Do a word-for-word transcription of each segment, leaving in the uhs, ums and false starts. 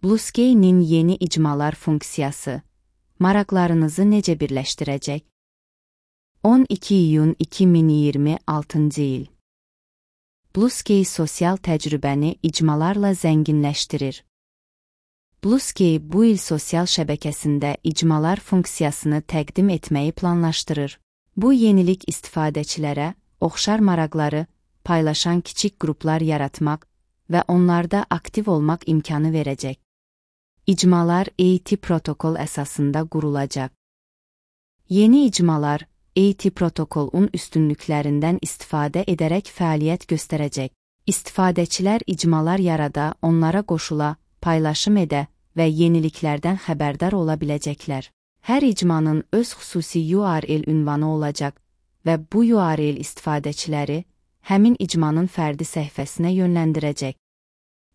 Bluesky'nin yeni icmalar funksiyası maraqlarınızı necə birləşdirəcək? on iki iyun iki min iyirmi altıncı il. Bluesky sosial təcrübəni icmalarla zənginləşdirir. Bluesky bu il sosial şəbəkəsində icmalar funksiyasını təqdim etməyi planlaşdırır. Bu yenilik istifadəçilərə oxşar maraqları paylaşan kiçik qruplar yaratmaq və onlarda aktiv olmaq imkanı verəcək. İcmalar A T protokol əsasında qurulacaq. Yeni icmalar A T protokolun üstünlüklərindən istifadə edərək fəaliyyət göstərəcək. İstifadəçilər icmalar yarada, onlara qoşula, paylaşım edə və yeniliklərdən xəbərdar ola biləcəklər. Hər icmanın öz xüsusi U R L ünvanı olacaq və bu U R L istifadəçiləri həmin icmanın fərdi səhifəsinə yönləndirəcək.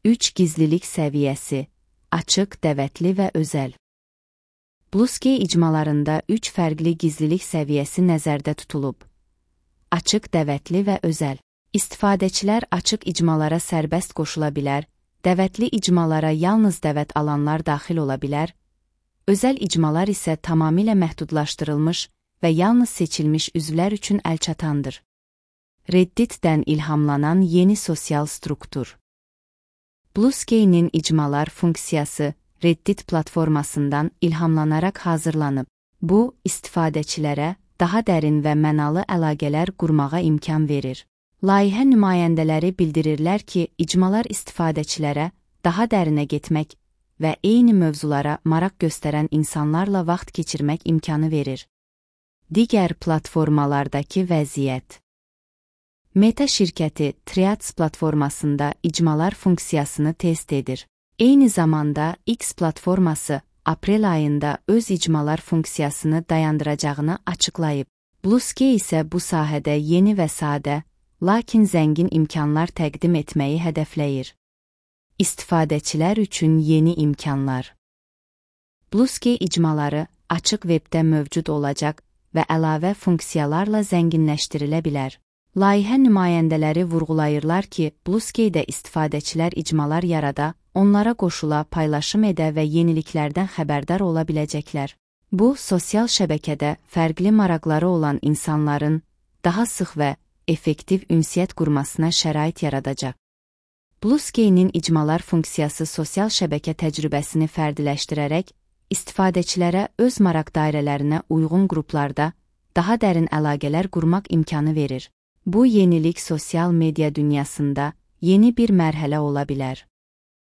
üç Gizlilik səviyyəsi: açıq, dəvətli və özəl. Bluesky icmalarında üç fərqli gizlilik səviyyəsi nəzərdə tutulub. Açıq, dəvətli və özəl. İstifadəçilər açıq icmalara sərbəst qoşula bilər, dəvətli icmalara yalnız dəvət alanlar daxil ola bilər, özəl icmalar isə tamamilə məhdudlaşdırılmış və yalnız seçilmiş üzvlər üçün əlçatandır. Reddit-dən ilhamlanan yeni sosial struktur. Bluesky'nin icmalar funksiyası Reddit platformasından ilhamlanaraq hazırlanıb. Bu, istifadəçilərə daha dərin və mənalı əlaqələr qurmağa imkan verir. Layihə nümayəndələri bildirirlər ki, icmalar istifadəçilərə daha dərinə getmək və eyni mövzulara maraq göstərən insanlarla vaxt keçirmək imkanı verir. Digər platformalardakı vəziyyət. Meta şirkəti Threads platformasında icmalar funksiyasını test edir. Eyni zamanda X platforması aprel ayında öz icmalar funksiyasını dayandıracağını açıqlayıb. Bluesky isə bu sahədə yeni və sadə, lakin zəngin imkanlar təqdim etməyi hədəfləyir. İstifadəçilər üçün yeni imkanlar. Bluesky icmaları açıq webdə mövcud olacaq və əlavə funksiyalarla zənginləşdirilə bilər. Layihə nümayəndələri vurğulayırlar ki, Bluesky'də istifadəçilər icmalar yarada, onlara qoşula, paylaşım edə və yeniliklərdən xəbərdar ola biləcəklər. Bu, sosial şəbəkədə fərqli maraqları olan insanların daha sıx və effektiv ünsiyyət qurmasına şərait yaradacaq. Bluesky'nin icmalar funksiyası sosial şəbəkə təcrübəsini fərdiləşdirərək, istifadəçilərə öz maraq dairələrinə uyğun qruplarda daha dərin əlaqələr qurmaq imkanı verir. Bu yenilik sosial media dünyasında yeni bir mərhələ ola bilər.